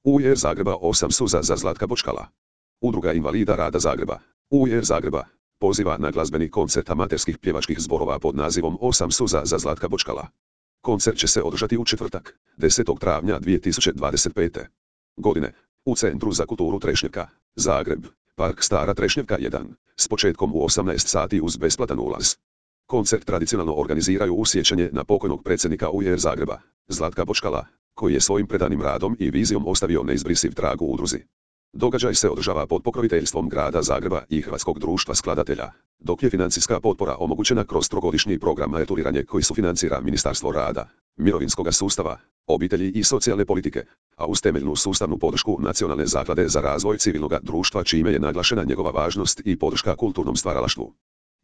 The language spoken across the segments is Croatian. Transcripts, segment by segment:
UR Zagreba 8 suza za Zlatka Bočkala. Udruga invalida rada Zagreba. UR Zagreba poziva na glazbeni koncert amaterskih pjevačkih zborova pod nazivom 8 suza za Zlatka Bočkala. Koncert će se održati u četvrtak, 10. travnja 2025. godine, u Centru za kulturu Trešnjevka, Zagreb, Park Stara Trešnjevka 1, s početkom u 18 sati uz besplatan ulaz. Koncert tradicionalno organiziraju u sjećanje na pokojnog predsjednika UR Zagreba, Zlatka Bočkala, koji je svojim predanim radom i vizijom ostavio neizbrisiv trag u udruzi. Događaj se održava pod pokroviteljstvom grada Zagreba i Hrvatskog društva skladatelja, dok je financijska potpora omogućena kroz trogodišnji program maturiranje koji sufinancira Ministarstvo rada, mirovinskog sustava, obitelji i socijalne politike, a uz temeljnu sustavnu podršku Nacionalne zaklade za razvoj civilnog društva čime je naglašena njegova važnost i podrška kulturnom stvaralaštvu.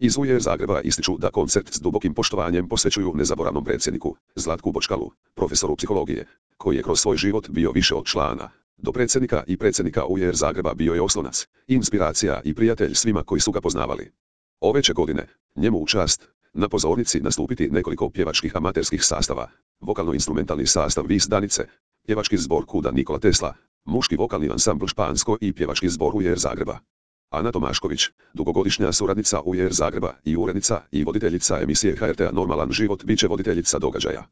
Iz UR Zagreba ističu da koncert s dubokim poštovanjem posvećuju nezaboravnom predsjedniku, Zlatku Bočkalu, profesoru psihologije, koji je kroz svoj život bio više od člana. Do predsjednika i predsjednika UR Zagreba bio je oslonac, inspiracija i prijatelj svima koji su ga poznavali. Ove će godine, njemu u čast, na pozornici nastupiti nekoliko pjevačkih amaterskih sastava, vokalno-instrumentalni sastav Vis Danice, pjevački zbor Kuda Nikola Tesla, muški vokalni ansambl Špansko i pjevački zbor UR Zagreba. Ana Tomašković, dugogodišnja suradnica UR Zagreba i urednica i voditeljica emisije HRT-a Normalan život, bit će voditeljica događaja.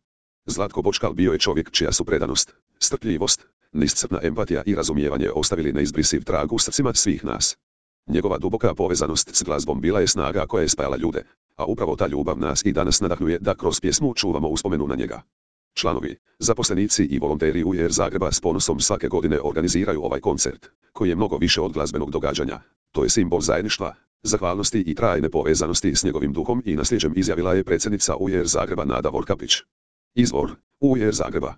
Zlatko Bočkal bio je čovjek čija su predanost, strpljivost, neiscrpna empatija i razumijevanje ostavili neizbrisiv trag u srcima svih nas. Njegova duboka povezanost s glazbom bila je snaga koja je spajala ljude, a upravo ta ljubav nas i danas nadahnuje da kroz pjesmu čuvamo uspomenu na njega. Članovi, zaposlenici i volonteri UR Zagreba s ponosom svake godine organiziraju ovaj koncert, koji je mnogo više od glazbenog događanja. To je simbol zajedništva, zahvalnosti i trajne povezanosti s njegovim duhom i nasljeđem, izjavila je predsjednica UR Zagreba Nada Vorkapić. Izvor, UR Zagreba.